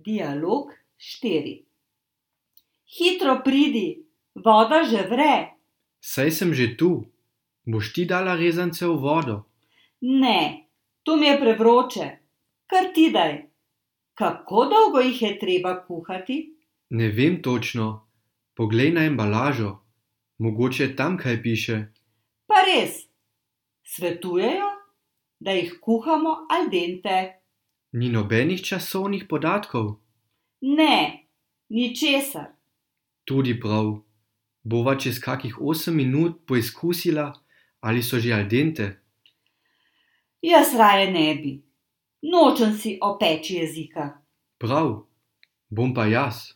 Dialog 4. Hitro pridi, voda že vre. Saj sem že tu. Boš ti dala rezance v vodo? Ne, tu mi je prevroče. Kar ti daj. Kako dolgo jih je treba kuhati? Ne vem točno. Poglej na embalažo. Mogoče tam kaj piše. Pa res, svetujejo, da jih kuhamo al dente. Ni nobenih časovnih podatkov. Ne, ničesar. Tudi prav. Bova čez kakih 8 minut poizkusila, ali so že al dente. Jaz raje ne bi. Nočem si opeči jezika. Prav. Bom pa jaz.